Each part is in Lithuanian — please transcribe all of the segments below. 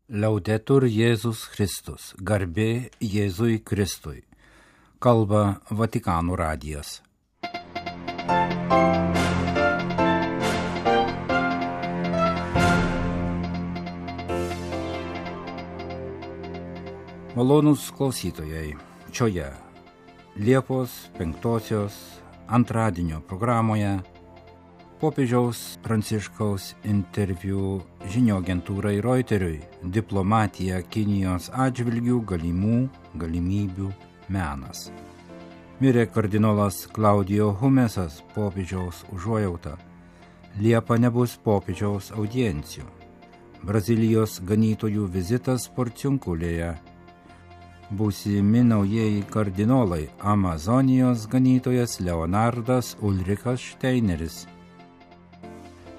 Liaudetur Jėzus Kristus, garbė Jėzui Kristui. Kalba Vatikano radijas. Malonūs klausytojai, šioje Liepos 5 antradienio programoje popiežiaus Pranciškaus interviu žinių agentūrai Reuteriui diplomatija Kinijos atžvilgių galimybių menas. Mirė kardinolas Claudio Humesas, popiežiaus užuojauta. Liepą nebus popiežiaus audiencijų. Brazilijos ganytojų vizitas Porciunkulėje. Būsimi naujieji kardinolai Amazonijos ganytojas Leonardas Ulrikas Šteineris.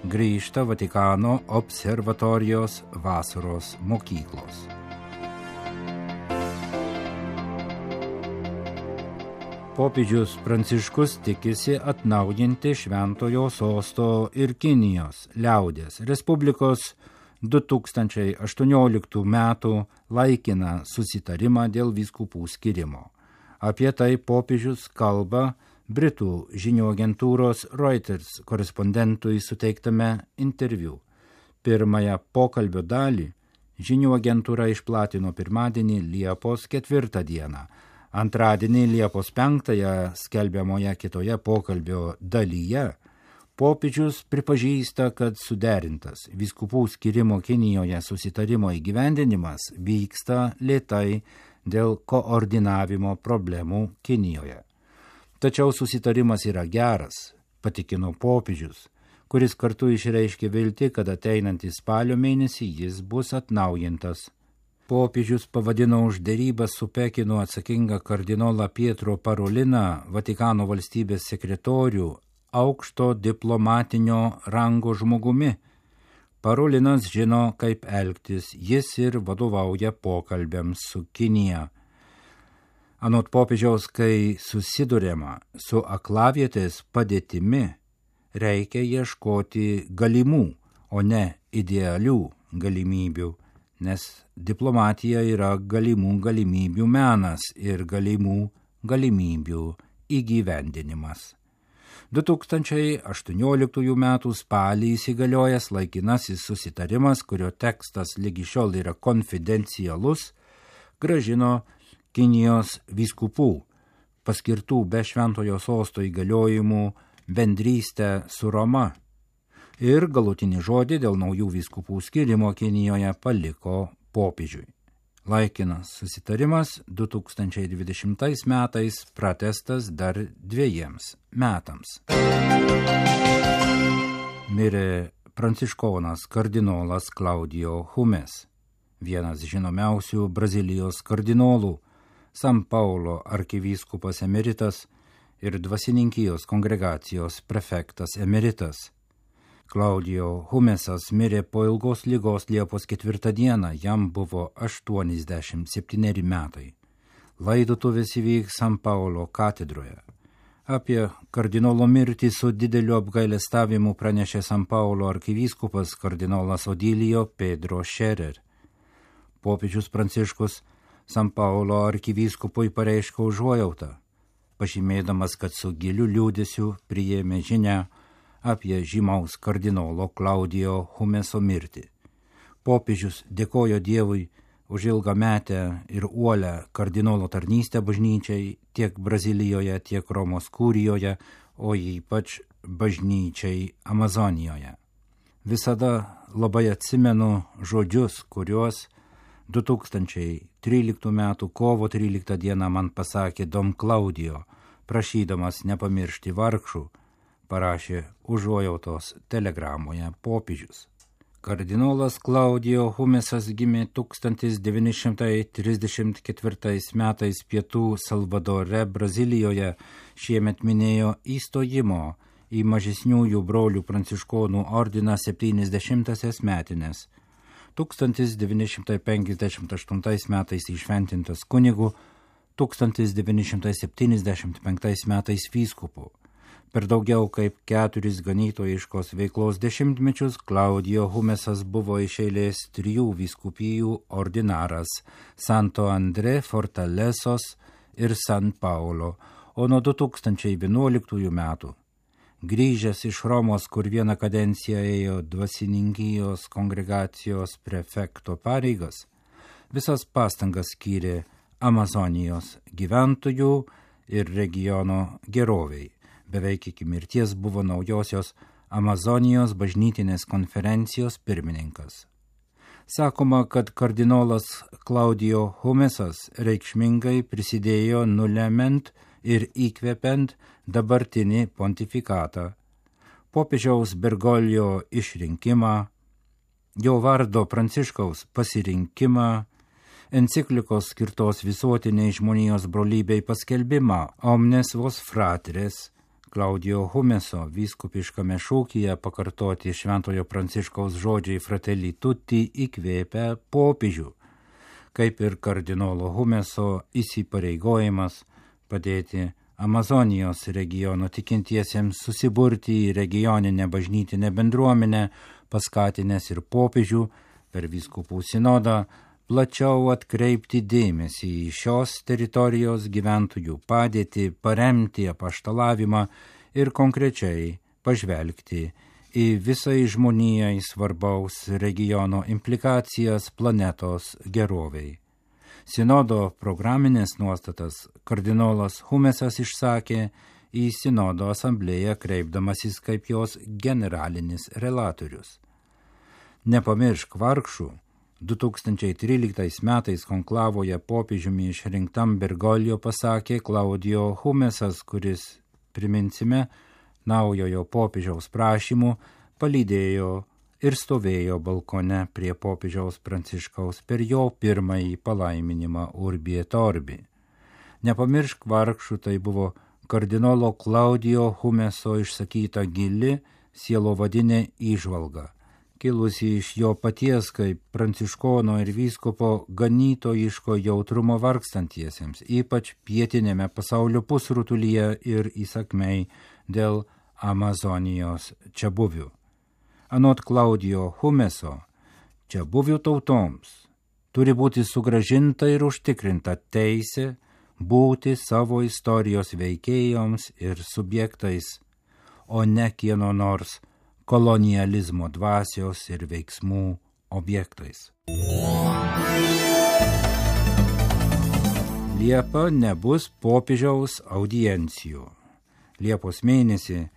Grįžta Vatikano observatorijos vasaros mokyklos. Popiežius Pranciškus tikisi atnaujinti Šventojo Sosto ir Kinijos liaudės Respublikos 2018 metų laikiną susitarimą dėl vyskupų skyrimo. Apie tai popiežius kalba Britų žinių agentūros Reuters korespondentui suteiktame interviu. Pirmąją pokalbio dalį žinių agentūra išplatino pirmadienį Liepos 4 dieną. Antradienį Liepos 5 skelbiamoje kitoje pokalbio dalyje popiežius pripažįsta, kad suderintas vyskupų skyrimo Kinijoje susitarimo įgyvendinimas vyksta lėtai dėl koordinavimo problemų Kinijoje. Tačiau susitarimas yra geras, patikino popiežius, kuris kartu išreiškė viltį, kad ateinantį spalio mėnesį jis bus atnaujintas. Popiežius pavadino už derybas su Pekinu atsakingą kardinolą Pietro Paroliną, Vatikano valstybės sekretorių, aukšto diplomatinio rango žmogumi. Parolinas žino, kaip elgtis, jis ir vadovauja pokalbiams su Kinija. Anot popiežiaus, kai susiduriama su aklavietės padėtimi, reikia ieškoti galimų, o ne idealių galimybių, nes diplomatija yra galimų galimybių menas ir galimų galimybių įgyvendinimas. 2018 metų spalį įsigaliojęs laikinasis susitarimas, kurio tekstas lygi šiol yra konfidencialus, gražino Kinijos vyskupų, paskirtų be Šventojo Sosto įgaliojimų bendrystę su Roma ir galutinį žodį dėl naujų vyskupų skyrimo Kinijoje paliko popiežiui. Laikinas susitarimas 2020 metais pratęstas dar 2 metams. Mirė pranciškonas kardinolas Claudio Humes, vienas žinomiausių Brazilijos kardinolų, San Paulo arkivyskupas emeritas ir dvasininkijos kongregacijos prefektas emeritas. Claudio Humesas mirė po ilgos ligos Liepos 4 dieną, jam buvo 87 metai. Laidotuvės įvyks San Paulo katedroje. Apie kardinolo mirtį su dideliu apgailestavimu pranešė San Paulo arkivyskupas kardinolas Odilio Pedro Scherer. Popiežius Pranciškus San Paulo arkivyskupui pareiškė užuojautą, pažymėdamas, kad su giliu liūdesiu priėmė žinią apie žymaus kardinolo Claudio Humeso mirtį. Popiežius dėkojo Dievui už ilgametę ir uolią kardinolo tarnystę bažnyčiai tiek Brazilijoje, tiek Romos kurijoje, o ypač bažnyčiai Amazonijoje. Visada labai atsimenu žodžius, kuriuos 2013 m. kovo 13 d. man pasakė Dom Claudio, prašydamas nepamiršti vargšų, parašė užuojautos telegramoje popiežius. Kardinolas Claudio Humesas gimė 1934 metais Pietų Salvadore, Brazilijoje, šiemet minėjo įstojimo į mažesniųjų brolių pranciškonų ordiną 70-asias metines. 1958 metais įšventintas kunigu, 1975 metais vyskupu. Per daugiau kaip 4 ganytojiškos veiklos dešimtmečius Claudio Humesas buvo iš eilės 3 vyskupijų ordinaras – Santo André, Fortalesos ir San Paulo, o nuo 2011 metų, grįžęs iš Romos, kur vieną kadenciją ėjo dvasininkijos kongregacijos prefekto pareigas, visas pastangas skyrė Amazonijos gyventojų ir regiono geroviai. Beveik iki mirties buvo naujosios Amazonijos bažnytinės konferencijos pirmininkas. Sakoma, kad kardinolas Claudio Humesas reikšmingai prisidėjo nulemiant ir įkvepiant dabartinį pontifikatą, popiežiaus Bergoglio išrinkimą, jo vardo Pranciškaus pasirinkimą, enciklikos skirtos visuotiniai žmonijos brolybei paskelbimą Omnes vos fratres, Claudio Humeso vyskupiškame šūkyje pakartoti šventojo Pranciškaus žodžiai Fratelli Tutti įkvėpę popiežių, kaip ir kardinolo Humeso įsipareigojimas padėti Amazonijos regiono tikintiesiems susiburti į regioninę bažnytinę bendruomenę, paskatinęs ir popiežių per vyskupų sinodą plačiau atkreipti dėmesį į šios teritorijos gyventojų padėtį, paremti apaštalavimą ir konkrečiai pažvelgti į visai žmonijai svarbaus regiono implikacijas planetos geroviai. Sinodo programinės nuostatas kardinolas Humesas išsakė į sinodo asamblėją kreipdamasis kaip jos generalinis relatorius. Nepamiršk vargšų, 2013 metais konklavoje popiežiumi išrinktam Bergoglio pasakė Claudio Humesas, kuris, priminsime, naujojo popiežiaus prašymų palydėjo ir stovėjo balkone prie popiežiaus Pranciškaus per jo pirmąjį palaiminimą Urbi et Orbi. Nepamiršk vargšų, tai buvo kardinolo Claudio Humeso išsakyta gili sielovadinė įžvalga, kilusi iš jo paties kaip pranciškono ir vyskupo ganytojiško jautrumo vargstantiesiems, ypač pietinėme pasaulio pusrutulyje ir įsakmei dėl Amazonijos čiabuvių. Anot Claudio Humeso, čiabuvių tautoms turi būti sugrąžinta ir užtikrinta teisė būti savo istorijos veikėjoms ir subjektais, o ne kieno nors kolonializmo dvasios ir veiksmų objektais. Liepa nebus popiežiaus audiencijų. Liepos mėnesį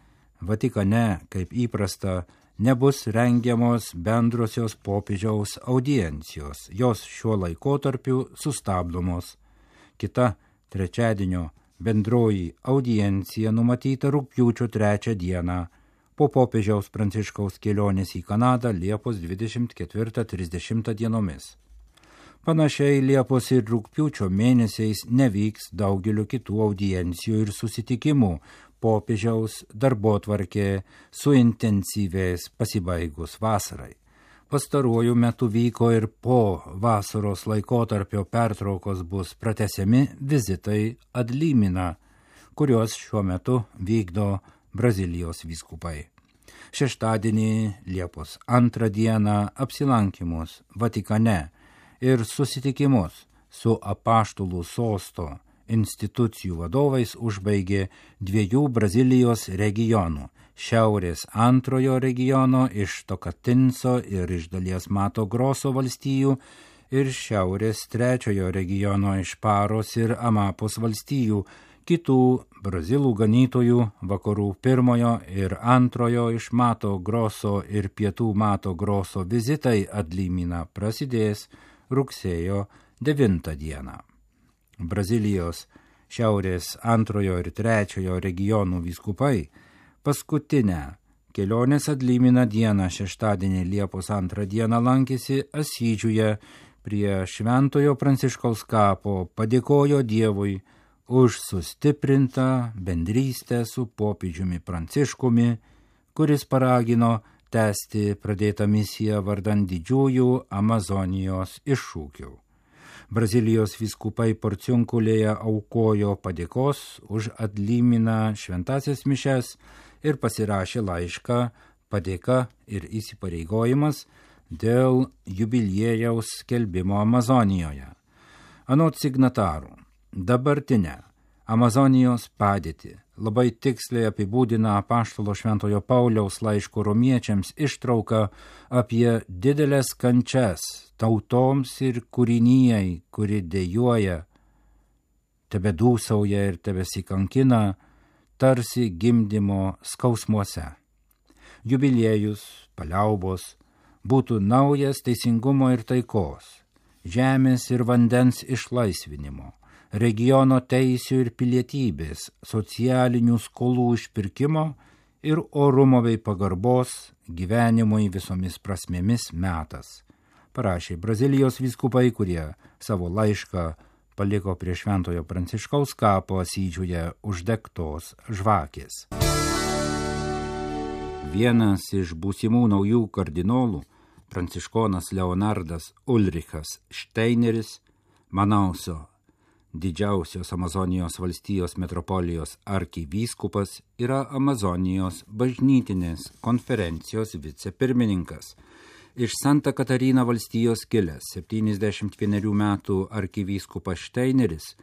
Vatikane, kaip įprasta, nebus rengiamos bendrosios popiežiaus audiencijos. Jos šiuo laikotarpiu sustabdomos. Kita trečiadienio bendroji audiencija numatyta rugpjūčio 3 dieną po popiežiaus Pranciškaus kelionės į Kanadą Liepos 24-30 dienomis. Panašiai Liepos ir rugpjūčio mėnesiais nevyks daugelio kitų audiencijų ir susitikimų. Popiežiaus darbotvarkė suintensyvės pasibaigus vasarai. Pastaruoju metu vyko ir po vasaros laikotarpio pertraukos bus pratęsiami vizitai ad limina, kuriuos šiuo metu vykdo Brazilijos vyskupai. Šeštadienį Liepos 2 dieną apsilankymus Vatikane ir susitikimus su apaštalų sosto institucijų vadovais užbaigė 2 Brazilijos regionų – šiaurės 2 regiono iš Tokatinso ir iš dalies Mato Groso valstijų ir šiaurės 3 regiono iš Paros ir Amapos valstijų, kitų brazilų ganytojų vakarų 1 ir 2 iš Mato Groso ir pietų Mato Groso vizitai ad limina prasidės rugsėjo 9 dieną. Brazilijos šiaurės 2 ir 3 regionų vyskupai paskutinę kelionės ad limina dieną šeštadienį Liepos 2 dieną lankėsi Asyžiuje prie Šventojo Pranciškaus kapo, padėkojo Dievui už sustiprintą bendrystę su popiežiumi Pranciškumi, kuris paragino tęsti pradėtą misiją vardan didžiųjų Amazonijos iššūkių. Brazilijos vyskupai Porciunkulėje aukojo padėkos už Adlyminą šventasias mišes ir pasirašė laišką padėka ir įsipareigojimas dėl jubiliejaus skelbimo Amazonijoje. Anot signatarų, dabartinę Amazonijos padėtį labai tiksliai apibūdina apaštalo Šventojo Pauliaus laiško romiečiams ištrauka apie didelės kančias tautoms ir kūrinijai, kuri dejuoja, tebedūsauja ir tebesikankina, tarsi gimdymo skausmuose. Jubiliejus, paliaubos, būtų naujas teisingumo ir taikos, žemės ir vandens išlaisvinimo, regiono teisių ir pilietybės, socialinių skolų išpirkimo ir orumo bei pagarbos gyvenimui visomis prasmėmis metas, parašė Brazilijos vyskupai, kurie savo laišką paliko prie Šventojo Pranciškaus kapo Asyžiuje uždegtos žvakės. Vienas iš būsimų naujų kardinolų, pranciškonas Leonardas Ulrichas Šteineris, Manauso didžiausios Amazonijos valstijos metropolijos arkivyskupas, yra Amazonijos bažnytinės konferencijos vicepirmininkas. Iš Santa Katarina valstijos kilęs 71 metų arkivyskupas Šteineris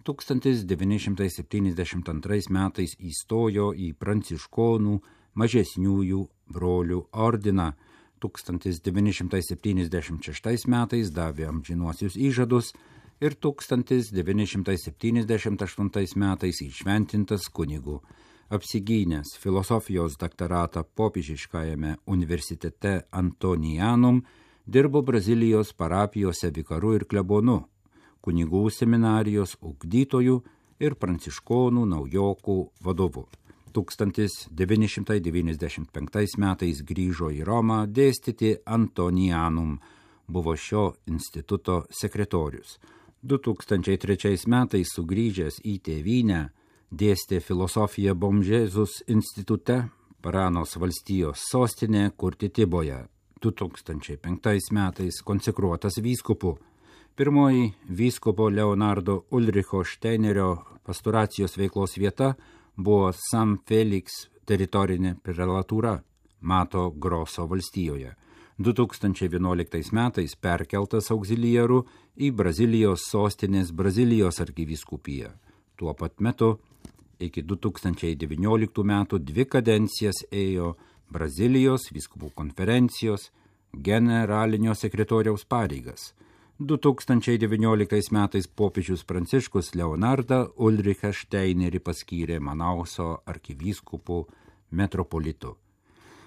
1972 metais įstojo į pranciškonų mažesniųjų brolių ordiną, 1976 metais davė amžinuosius įžadus ir 1978 metais įšventintas kunigu, apsigynęs filosofijos daktaratą popiežiškajame universitete Antonianum, dirbo Brazilijos parapijose vikaru ir klebonu, kunigų seminarijos ugdytojų ir pranciškonų naujokų vadovu. 1995 metais grįžo į Romą dėstyti Antonianum, buvo šio instituto sekretorius. 2003 metais sugrįžęs į tėvynę, dėstė filosofiją Bomžezus institute, Paranos valstijos sostinė Kurtitiboje. 2005 metais konsekruotas vyskupu. Pirmoji vyskupo Leonardo Ulricho Šteinerio pastoracijos veiklos vieta buvo San Felix teritorinė prelatūra Mato Groso valstijoje. 2011 metais perkeltas auxiliaru į Brazilijos sostinės Brazilijos arkivyskupiją. Tuo pat metu iki 2019 metų 2 kadencijas ėjo Brazilijos vyskupų konferencijos generalinio sekretoriaus pareigas. 2019 metais popiežius Pranciškus Leonardą Ulrichą Šteinerį paskyrė Manauso arkivyskupu metropolitu.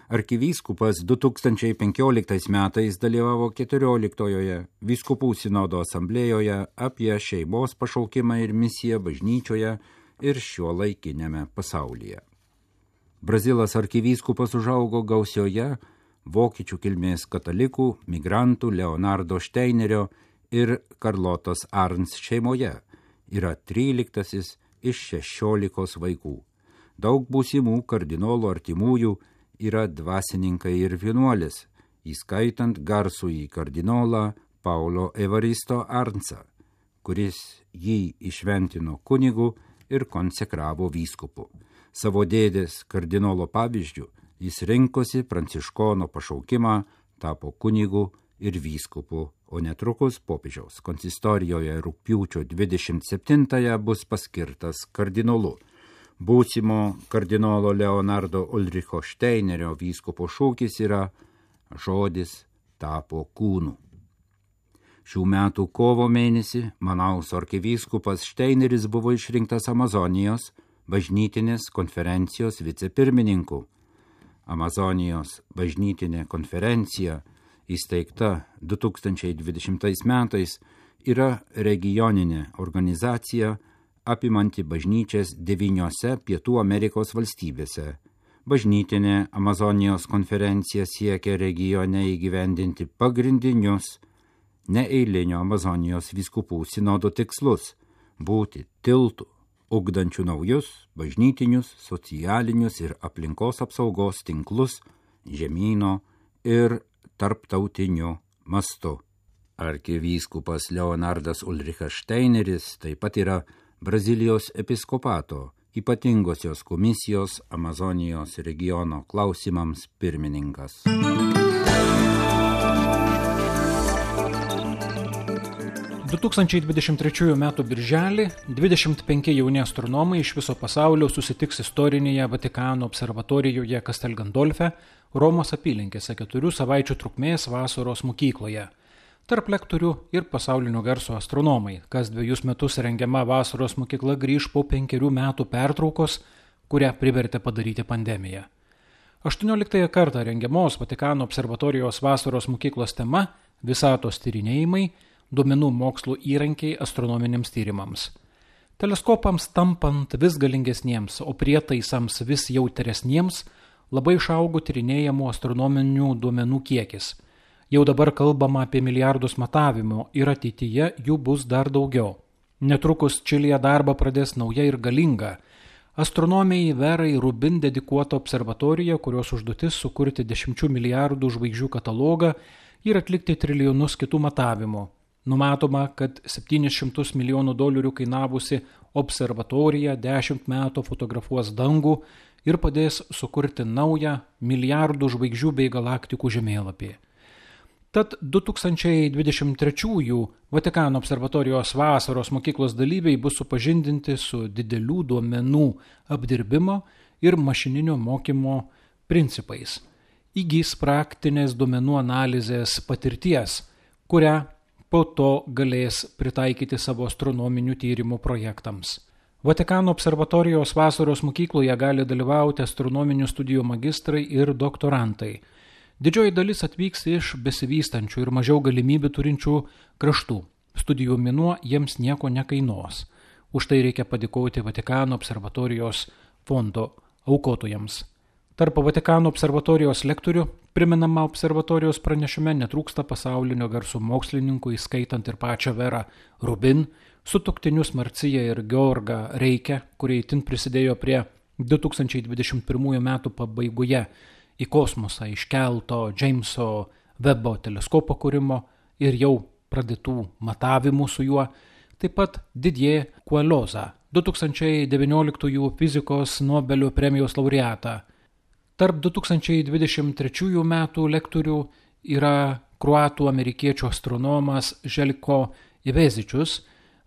Arkivyskupas 2015 metais dalyvavo 14-ojoje vyskupų sinodo asamblėjoje apie šeimos pašaukimą ir misiją bažnyčioje ir šiuolaikiniame pasaulyje. Brazilas arkivyskupas užaugo gausioje vokiečių kilmės katalikų, migrantų Leonardo Šteinerio ir Karlotos Arns šeimoje. Yra 13 iš 16 vaikų. Daug būsimų kardinolų artimųjų yra dvasininkai ir vienuolis, įskaitant garsųjį kardinolą Paulo Evaristo Arnsą, kuris jį išventino kunigu ir konsekravo vyskupu. Savo dėdės kardinolo pavyzdžių jis rinkosi pranciškono pašaukimą, tapo kunigu ir vyskupu, o netrukus popiežiaus konsistorijoje rugpjūčio 27 bus paskirtas kardinolu. Būsimo kardinolo Leonardo Ulricho Šteinerio vyskupo šūkis yra žodis tapo kūnu. Šių metų kovo mėnesį Manauso arkivyskupas Šteineris buvo išrinktas Amazonijos bažnytinės konferencijos vicepirmininku. Amazonijos bažnytinė konferencija, įsteigta 2020 metais, yra regioninė organizacija apimanti bažnyčias 9 Pietų Amerikos valstybėse. Bažnytinė Amazonijos konferencija siekia regione įgyvendinti pagrindinius neeilinio Amazonijos vyskupų sinodo tikslus – būti tiltų, ugdančių naujus bažnytinius, socialinius ir aplinkos apsaugos tinklus žemyno ir tarptautiniu mastu. Arkivyskupas Leonardas Ulrichas Steineris taip pat yra Brazilijos episkopato ypatingosios komisijos Amazonijos regiono klausimams pirmininkas. – 2023 m. birželį 25 jauni astronomai iš viso pasaulio susitiks istorinėje Vatikano observatorijoje Castel Gandolfe, Romos apylinkėse 4 savaičių trukmės vasaros mokykloje. Tarp lektorių ir pasaulinio garso astronomai, kas 2 metus rengiama vasaros mokykla grįž po 5 metų pertraukos, kurią privertė padaryti pandemija. 18 kartą rengiamos Vatikano observatorijos vasaros mokyklos tema – visatos tyrinėjimai, duomenų mokslo įrankiai astronominiams tyrimams. Teleskopams tampant vis galingesniems, o prietaisams vis jautresniems, labai išaugo tyrinėjamų astronominių duomenų kiekis. Jau dabar kalbama apie milijardus matavimų ir ateityje jų bus dar daugiau. Netrukus Čilėje darbą pradės nauja ir galinga astronomijai Verai Rubin dedikuota observatorija, kurios užduotis sukurti 10 milijardų žvaigždžių katalogą ir atlikti trilijonus kitų matavimų. Numatoma, kad $700 milijonų kainavusi observatorija 10 metų fotografuos dangų ir padės sukurti naują milijardų žvaigždžių bei galaktikų žemėlapį. Tad 2023 Vatikano observatorijos vasaros mokyklos dalyviai bus supažindinti su didelių duomenų apdirbimo ir mašininio mokymo principais. Įgys praktinės duomenų analizės patirties, kurią po to galės pritaikyti savo astronominių tyrimų projektams. Vatikano observatorijos vasaros mokykloje gali dalyvauti astronominių studijų magistrai ir doktorantai. Didžioji dalis atvyks iš besivystančių ir mažiau galimybių turinčių kraštų. Studijų mėnuo jiems nieko nekainuos. Už tai reikia padėkoti Vatikano observatorijos fondo aukotojams. Tarp Vatikano observatorijos lektorių, priminama observatorijos pranešime, netrūksta pasaulinio garso mokslininkų, įskaitant ir pačią Verą Rubin, sutuoktinius Marciją ir Georgą Reikę, kurie itin prisidėjo prie 2021 metų pabaigoje į kosmosą iškelto Jameso Webbo teleskopo kūrimo ir jau pradėtų matavimų su juo, taip pat Didier Queloza, 2019 fizikos Nobelio premijos laureatą. Tarp 2023 metų lektorių yra kroatų amerikiečių astronomas Željko Ivezičius,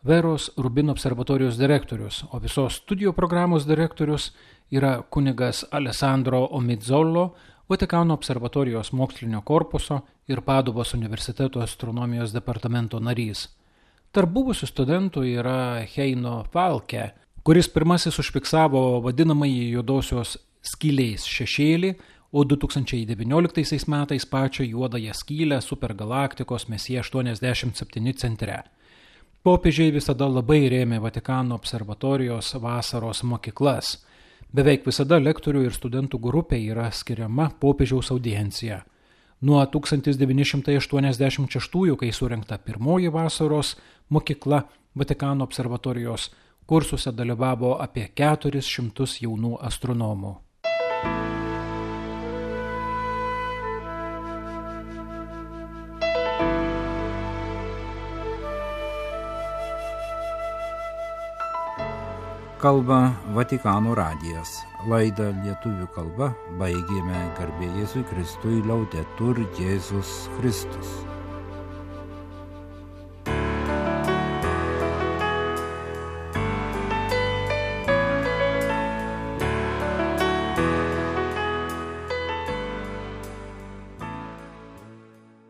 Veros Rubin observatorijos direktorius, o visos studijų programos direktorius yra kunigas Alessandro Omizzolo, Vatikano observatorijos mokslinio korpuso ir Paduvos universiteto astronomijos departamento narys. Tarp buvusių studentų yra Heino Falke, kuris pirmasis užfiksavo vadinamąjį juodosios skylės šešėlį, o 2019 metais pačią juodąją skylę supergalaktikos Messier 87 centre. Popiežiai visada labai rėmė Vatikano observatorijos vasaros mokyklas. Beveik visada lektorių ir studentų grupė yra skiriama popiežiaus audiencija. Nuo 1986, kai surengta pirmoji vasaros mokykla, Vatikano observatorijos kursuose dalyvavo apie 400 jaunų astronomų. Kalba Vatikano radijas. Laidą lietuvių kalba baigėme garbė Jėzui Kristui, Laudetur Jėzus Kristus.